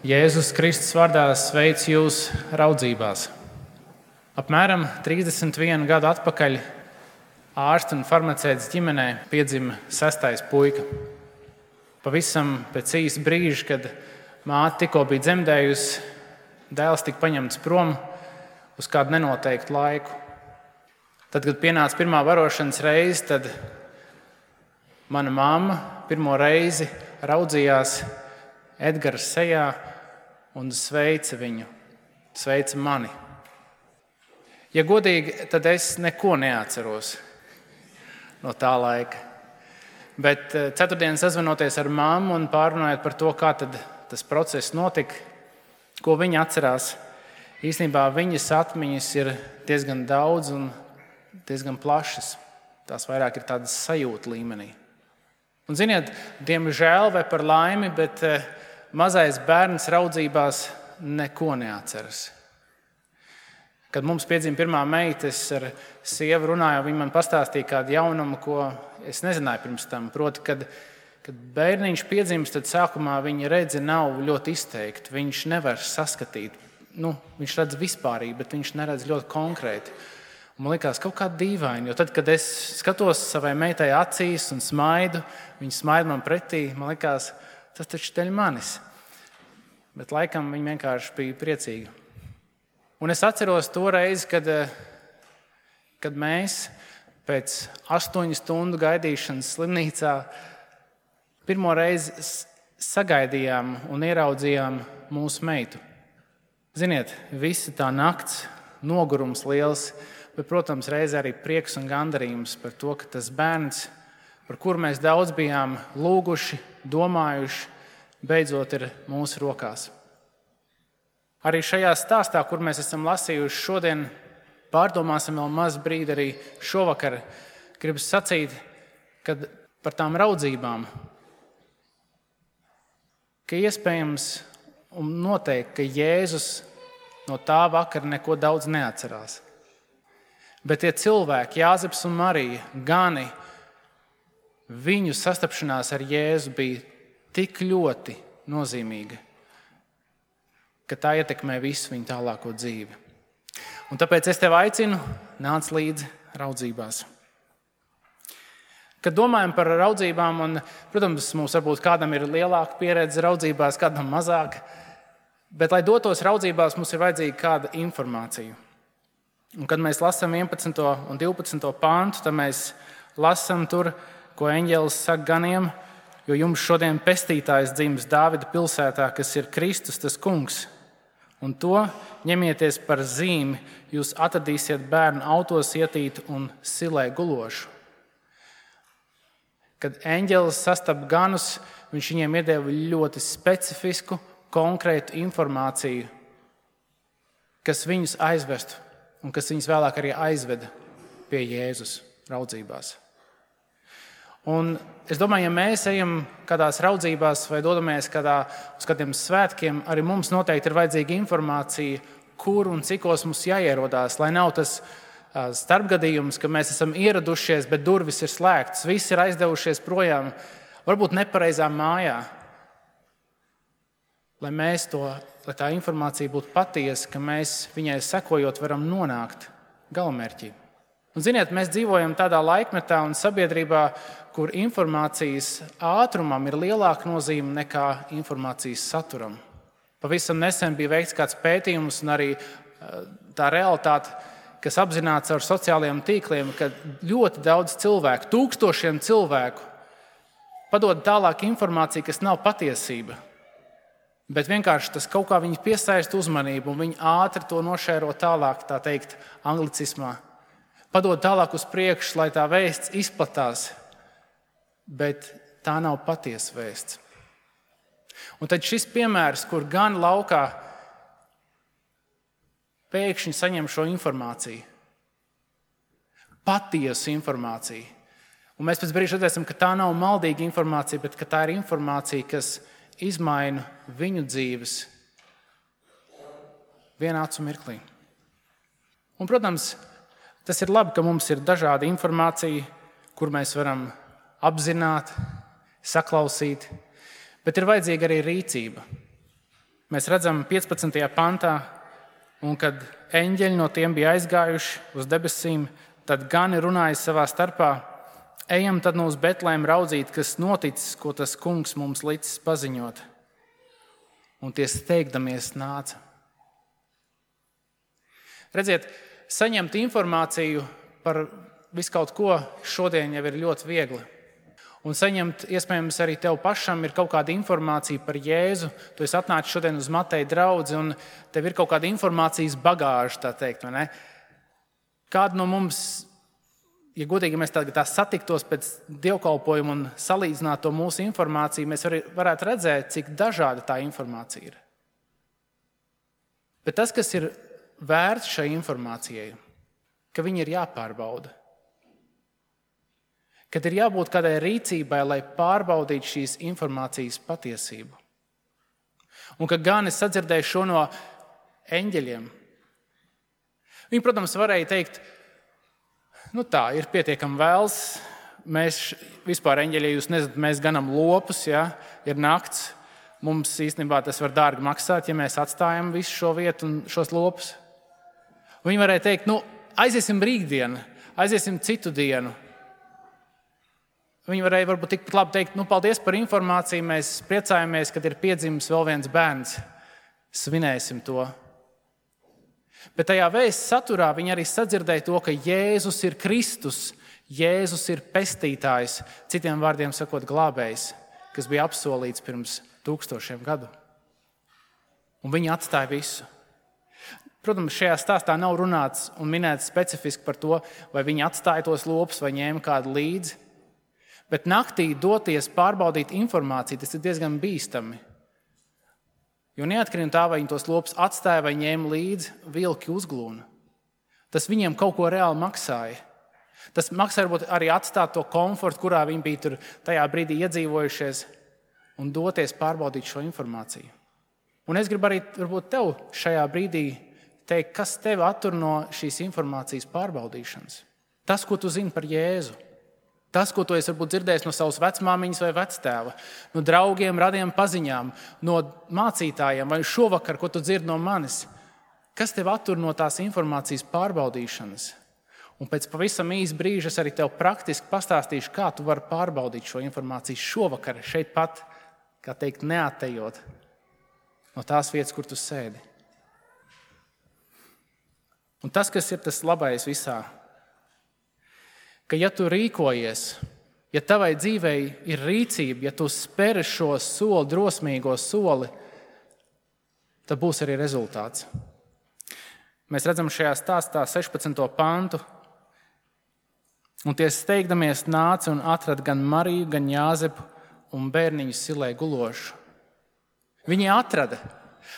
Jēzus Kristus vārdā sveic jūs raudzībās. Apmēram 31 gadu atpakaļ ārsta un farmaceits ģimenē piedzima 6. puika. Pavisam pēc īsa brīža, kad māte tikko bija dzemdējusi, dēls tika paņemts prom uz kādu nenoteiktu laiku. Tad, kad pienāca pirmā barošanas reize, tad mana mamma pirmo reizi raudzījās Edgara sejā un sveica viņu, sveica mani. Ja godīgi, tad es neko neatceros no tā laika. Bet ceturtdien sazvanoties ar mammu un pārrunājot par to, kā tad tas process notika, ko viņa atcerās, īstenībā viņas atmiņas ir diezgan daudz un diezgan plašas. Tās vairāk ir tādas sajūta līmenī. Un ziniet, diemžēl vai par laimi, bet mazais bērns raudzībās neko neatceras. Kad mums piedzima pirmā meita, es ar sievu runāju, viņa man pastāstīja kādu jaunumu, ko es nezināju pirms tam. Proti, kad bērniņš piedzimst, tad sākumā viņa redze nav ļoti izteikta. Viņš nevar saskatīt. Viņš redz vispārīgi, bet viņš neredz ļoti konkrēti. Un man likās kaut kā dīvaini, jo tad, kad es skatos savai meitai acīs un smaidu, viņa smaida man pretī, man likās, tas taču dēļ manis. Bet laikam viņa vienkārši bija priecīga. Un es atceros to reizi, kad mēs pēc 8 stundu gaidīšanas slimnīcā pirmo reizi sagaidījām un ieraudzījām mūsu meitu. Ziniet, visa tā nakts, nogurums liels, bet, protams, reizē arī prieks un gandarījums par to, ka tas bērns, par kuru mēs daudz bijām lūguši, domājuši, beidzot ir mūsu rokās. Arī šajā stāstā, kur mēs esam lasījuši šodien, pārdomāsim vēl maz brīdi arī šovakar. Gribu sacīt, kad par tām raudzībām, ka iespējams un noteikti, ka Jēzus no tā vakara neko daudz neatcerās. Bet tie cilvēki, Jāzeps un Marija, gani, viņu sastapšanās ar Jēzu bija tik ļoti nozīmīga, ka tā ietekmē visu viņu tālāko dzīvi. Un tāpēc es tevi aicinu, nāc līdzi raudzībās. Kad domājam par raudzībām, un, protams, mums varbūt kādam ir lielāka pieredze raudzībās, kādam mazāk, bet, lai dotos raudzībās, mums ir vajadzīga kāda informācija. Un, kad mēs lasām 11. un 12. pāntu, tad mēs lasām tur, ko eņģelis saka ganiem, jo jums šodien pestītājs dzimis Dāvida pilsētā, kas ir Kristus, tas kungs. Un to ņemieties par zīmi, jūs atradīsiet bērnu autos ietītu un silē gulošu. Kad eņģelis sastapa ganus, viņš viņiem iedeva ļoti specifisku, konkrētu informāciju, kas viņus aizvestu un kas viņus vēlāk arī aizveda pie Jēzus raudzībās. Un es domāju, ja mēs ejam kādās raudzībās vai dodamies uz kādiem svētkiem, arī mums noteikti ir vajadzīga informācija, kur un cikos mums jāierodās, lai nav tas starpgadījums, ka mēs esam ieradušies, bet durvis ir slēgtas, visi ir aizdevušies projām, varbūt nepareizā mājā. Lai tā informācija būtu patiesa, ka mēs viņai sekojot varam nonākt galamērķī. Un, ziniet, mēs dzīvojam tādā laikmetā un sabiedrībā, kur informācijas ātrumam ir lielāka nozīme nekā informācijas saturam. Pavisam nesen bija veikts kāds pētījums un arī tā realitāte, kas apzināts ar sociālajiem tīkliem, ka ļoti daudz cilvēku, tūkstošiem cilvēku padod tālāk informāciju, kas nav patiesība. Bet vienkārši tas kaut kā viņi piesaista uzmanību un viņi ātri to nošēro tālāk, tā teikt, anglicismā. Padod tālāk uz priekšu, lai tā vēsts izplatās, bet tā nav patiesa vēsts. Un tad šis piemērs, kur gan laukā pēkšņi saņem šo informāciju, patiesu informāciju. Un mēs pēc brīža redzēsim, ka tā nav maldīga informācija, bet ka tā ir informācija, kas izmaina viņu dzīves vienā acu mirklī. Un, protams, tas ir labi, ka mums ir dažāda informācija, kur mēs varam apzināt, saklausīt, bet ir vajadzīga arī rīcība. Mēs redzam 15. pantā, un kad eņģeļi no tiem bija aizgājuši uz debesīm, tad gani runāja savā starpā: ejam tad no uz Betlēmu raudzīt, kas noticis, ko tas kungs mums licis paziņot. Un tie steigdamies nāca. Redziet, saņemt informāciju par visu kaut ko šodien jau ir ļoti viegli. Un saņemt, iespējams, arī tev pašam ir kaut kāda informācija par Jēzu. Tu esi atnācis šodien uz Mateja draudzi, un tev ir kaut kāda informācijas bagāža, tā teikt, vai ne? Kādu no mums, ja godīgi mēs tā satiktos pēc dievkalpojuma un salīdzinātu to mūsu informāciju, mēs varētu redzēt, cik dažāda tā informācija ir. Bet tas, kas ir vērts šai informācijai, ka viņi ir jāpārbauda. Kad ir jābūt kādai rīcībai, lai pārbaudītu šīs informācijas patiesību. Un ka gan es sadzirdēju šo no eņģeļiem. Viņi, protams, varēja teikt, tā, ir pietiekami vēls. Mēs vispār, eņģeļi, ja jūs nezināt, mēs ganam lopus, ja? Ir nakts. Mums īstenībā tas var dārgi maksāt, ja mēs atstājam visu šo vietu un šos lopus. Viņi varēja teikt, aiziesim rītdien, aiziesim citu dienu. Viņi varēja varbūt tikpat labi teikt, paldies par informāciju, mēs priecājamies, kad ir piedzimis vēl viens bērns. Svinēsim to. Bet tajā vēsts saturā viņi arī sadzirdēja to, ka Jēzus ir Kristus, Jēzus ir pestītājs, citiem vārdiem sakot glābējs, kas bija apsolīts pirms 1000 gadu. Un viņi atstāja visu. Protams, šajā stāstā nav runāts un minēts specifiski par to, vai viņi atstāja tos lopus vai ņēma kādu līdzi. Bet naktī doties pārbaudīt informāciju, tas ir diezgan bīstami. Jo neatkarīgi no tā, vai viņi tos lopus atstāja vai ņēma līdzi, vilki uzglūna. Tas viņiem kaut ko reāli maksāja. Tas maksāja varbūt arī atstāt to komfortu, kurā viņi bija tur tajā brīdī iedzīvojušies, un doties pārbaudīt šo informāciju. Un es gribu arī varbūt tev šajā brīdī teikt, kas tevi attur no šīs informācijas pārbaudīšanas. Tas, ko tu zini par Jēzu. Tas, ko tu esi varbūt dzirdējis no savas vecmāmiņas vai vectēva, no draugiem, radiem paziņām, no mācītājiem vai šovakar, ko tu dzirdi no manis. Kas tev attur no tās informācijas pārbaudīšanas? Un pēc pavisam īsa brīža es arī tev praktiski pastāstīšu, kā tu vari pārbaudīt šo informāciju šovakar, šeit pat, kā teikt, neatejot no tās vietas, kur tu sēdi. Un tas, kas ir tas labais visā, ka ja tu rīkojies, ja tavai dzīvei ir rīcība, ja tu speri šo soli, drosmīgo soli, tad būs arī rezultāts. Mēs redzam šajā stāstā 16. pantu. Un tie steigdamies nāca un atrada gan Mariju, gan Jāzepu un bērniņu silē gulošu. Viņi atrada.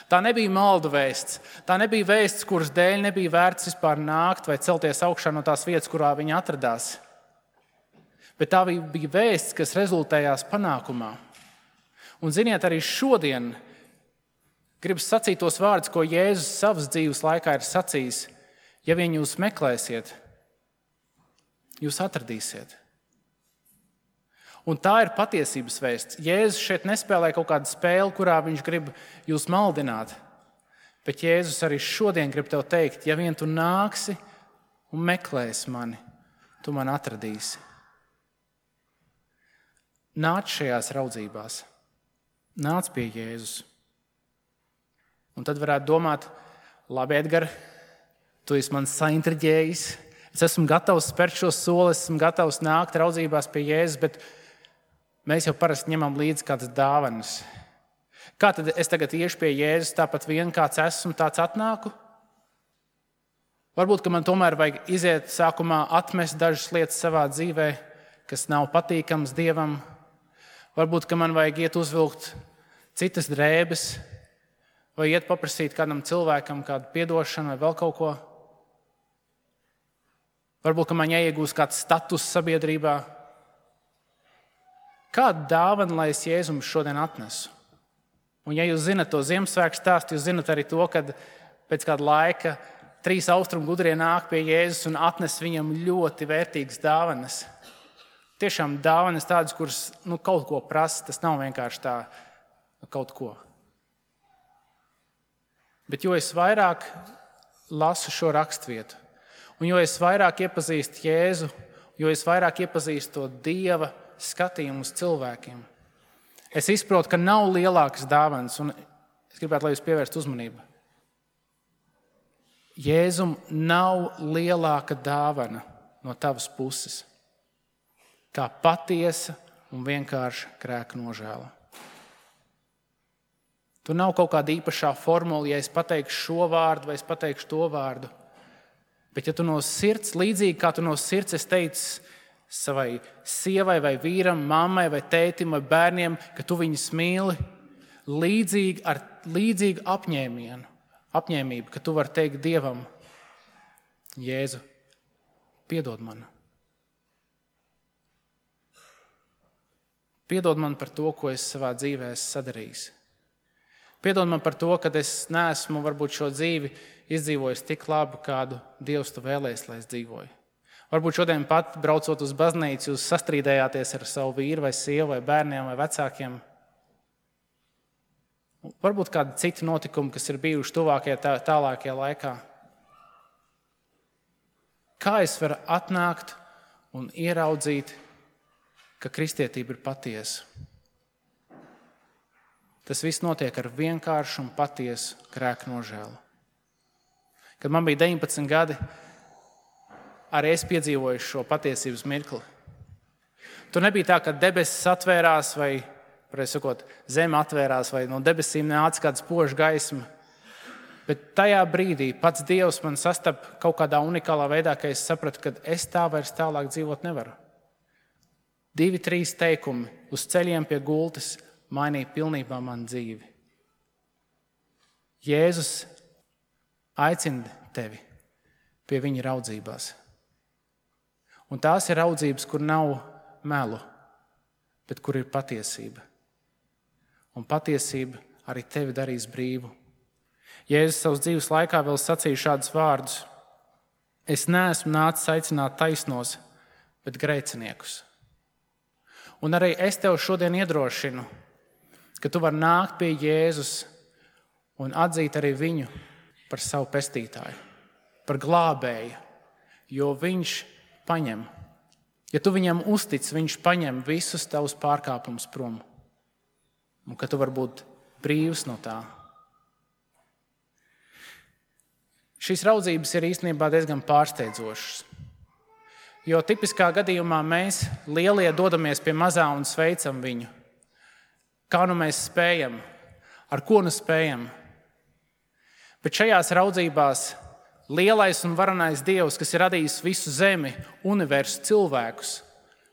Tā nebija maldu vēsts. Tā nebija vēsts, kuras dēļ nebija vērts vispār nākt vai celties augšā no tās vietas, kurā viņi atradās. Bet tā bija vēsts, kas rezultējās panākumā. Un ziniet, arī šodien gribas sacīt tos vārdus, ko Jēzus savas dzīves laikā ir sacījis. Ja vien jūs meklēsiet, jūs atradīsiet. Un tā ir patiesības vēsts. Jēzus šeit nespēlē kaut kādu spēli, kurā viņš grib jūs maldināt. Bet Jēzus arī šodien grib tev teikt, ja vien tu nāksi un meklēsi mani, tu mani atradīsi. Nāc šajās raudzībās. Nāc pie Jēzus. Un tad varētu domāt, labi, Edgar, tu esi man saintriģējis. Es esmu gatavs spērt šo soli, esmu gatavs nākt raudzībās pie Jēzus, bet mēs jau parasti ņemam līdzi kādas dāvanas. Kā tad es tagad iešu pie Jēzus, tāpat vien kāds esmu, tāds atnāku? Varbūt, ka man tomēr vajag iziet sākumā atmest dažas lietas savā dzīvē, kas nav patīkams Dievam. Varbūt, ka man vajag iet uzvilkt citas drēbes, vai iet paprasīt kādam cilvēkam kādu piedošanu vai vēl kaut ko. Varbūt, ka man jāiegūst kāds status sabiedrībā. Kādu dāvanu, lai es Jēzum šodien atnesu? Un ja jūs zinat to Ziemassvētku stāstu, jūs zinat arī to, kad pēc kāda laika 3 austrumu gudrie nāk pie Jēzus un atnes viņam ļoti vērtīgas dāvanas. Tiešām dāvanas tādas, kuras kaut ko prasa, tas nav vienkārši tā kaut ko. Bet jo es vairāk lasu šo rakstvietu, un jo es vairāk iepazīstu Jēzu, jo es vairāk iepazīstu to Dieva skatījumu uz cilvēkiem, es izprotu, ka nav lielākas dāvanas, un es gribētu, lai jūs pievērstu uzmanību. Jēzum nav lielāka dāvana no tavas puses, kā patiesa un vienkārša grēka nožēla. Tur nav kaut kāda īpašā formula, ja es pateikšu šo vārdu vai es pateikšu to vārdu. Bet ja tu no sirds, līdzīgi kā tu no sirds es teicu savai sievai vai vīram, mammai vai tētim vai bērniem, ka tu viņus mīli, līdzīgi ar līdzīgu apņēmību, ka tu vari teikt Dievam, Jēzu, piedod man. Piedod man par to, ko es savā dzīvē esmu sadarījis. Piedod man par to, ka es neesmu varbūt šo dzīvi izdzīvojis tik labi, kādu Dievs tu vēlējies, lai es dzīvoju. Varbūt šodien pat, braucot uz baznīcu, jūs sastrīdējāties ar savu vīru vai sievu vai bērniem vai vecākiem. Varbūt kādi citi notikumi, kas ir bijuši tuvākajā, tālākajā laikā. Kā es varu atnākt un ieraudzīt, ka kristietība ir patiesa? Tas viss notiek ar vienkāršu un patiesu grēka nožēlu. Kad man bija 19 gadi, arī es piedzīvoju šo patiesības mirkli. Tur nebija tā, ka debesis atvērās vai, pareizi sakot, zeme atvērās vai no debesīm nāca kāda spoža gaisma. Bet tajā brīdī pats Dievs man sastapa kaut kādā unikālā veidā, ka es sapratu, ka es tā vairs tālāk dzīvot nevaru. 2-3 teikumi uz ceļiem pie gultas mainīja pilnībā manu dzīvi. Jēzus aicina tevi pie viņa raudzībās. Un tās ir raudzības, kur nav melu, bet kur ir patiesība. Un patiesība arī tevi darīs brīvu. Jēzus savas dzīves laikā vēl sacīja šādus vārdus: Es neesmu nācis aicināt taisnos, bet grēciniekus. Un arī es tev šodien iedrošinu, ka tu vari nākt pie Jēzus un atzīt arī viņu par savu pestītāju, par glābēju, jo viņš paņem. Ja tu viņam uztic, viņš paņem visus tavus pārkāpumus prom, un ka tu vari būt brīvs no tā. Šīs raudzības ir īstenībā diezgan pārsteidzošas, jo tipiskā gadījumā mēs lielie dodamies pie mazā un sveicam viņu. Kā nu mēs spējam, ar ko nu spējam. Bet šajās raudzībās lielais un varenais Dievs, kas ir radījis visu zemi, universu, cilvēkus,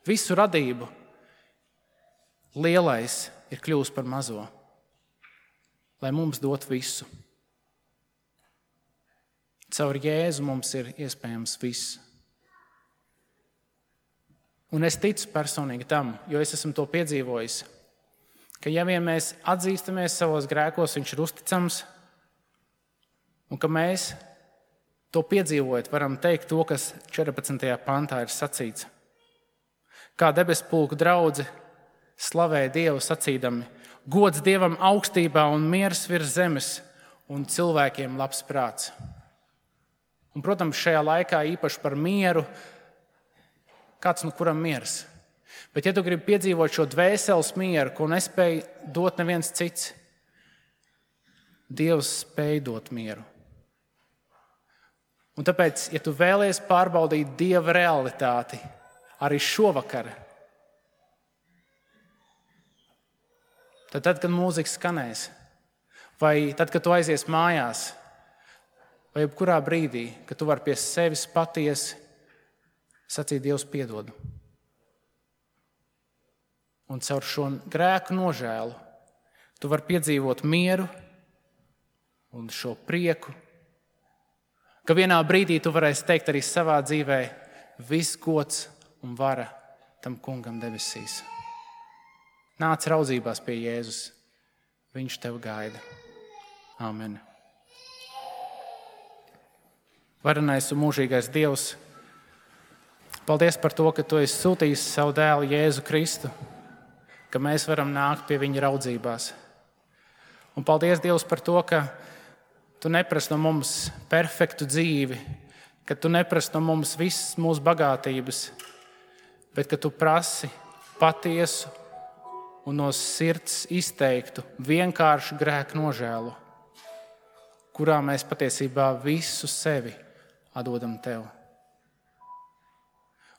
visu radību, lielais ir kļuvis par mazo, lai mums dot visu. Caur Jēzu mums ir iespējams viss. Un es ticu personīgi tam, jo es esmu to piedzīvojis, ka ja vien mēs atzīstamies savos grēkos, viņš ir uzticams, un ka mēs to piedzīvojot varam teikt to, kas 14. pantā ir sacīts. Kā debesu pulku draudzi slavēja Dievu sacīdami: Gods Dievam augstībā un miers virs zemes un cilvēkiem labs prāts. Un, protams, šajā laikā īpaši par mieru, kāds no kuram miers. Bet, ja tu gribi piedzīvot šo dvēseles mieru, ko nespēj dot neviens cits, Dievs spēj dot mieru. Un tāpēc, ja tu vēlies pārbaudīt Dieva realitāti arī šovakar, tad, kad mūzika skanēs, vai tad, kad tu aizies mājās, vai jebkurā brīdī, kad tu vari pie sevis patiesi sacīt: Dievs, piedod. Un caur šo grēku nožēlu tu vari piedzīvot mieru un šo prieku, ka vienā brīdī tu varēsi teikt arī savā dzīvē: viss gods un vara tam kungam debesīs. Nāc raudzībās pie Jēzus, viņš tev gaida. Āmen. Varenais un mūžīgais Dievs, paldies par to, ka tu esi sūtījis savu dēlu Jēzu Kristu, ka mēs varam nākt pie viņa raudzībās. Un paldies, Dievs, par to, ka tu neprasi no mums perfektu dzīvi, ka tu neprasi no mums visas mūsu bagātības, bet ka tu prasi patiesu un no sirds izteiktu vienkāršu grēku nožēlu, kurā mēs patiesībā visu sevi atdodam tev.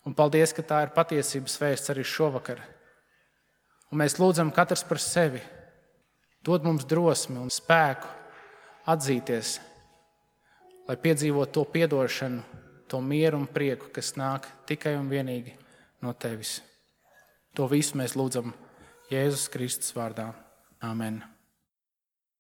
Un paldies, ka tā ir patiesības vēsts arī šovakar. Un mēs lūdzam katrs par sevi. Dod mums drosmi un spēku atzīties, lai piedzīvotu to piedošanu, to mieru un prieku, kas nāk tikai un vienīgi no tevis. To visu mēs lūdzam Jēzus Kristus vārdā. Āmen.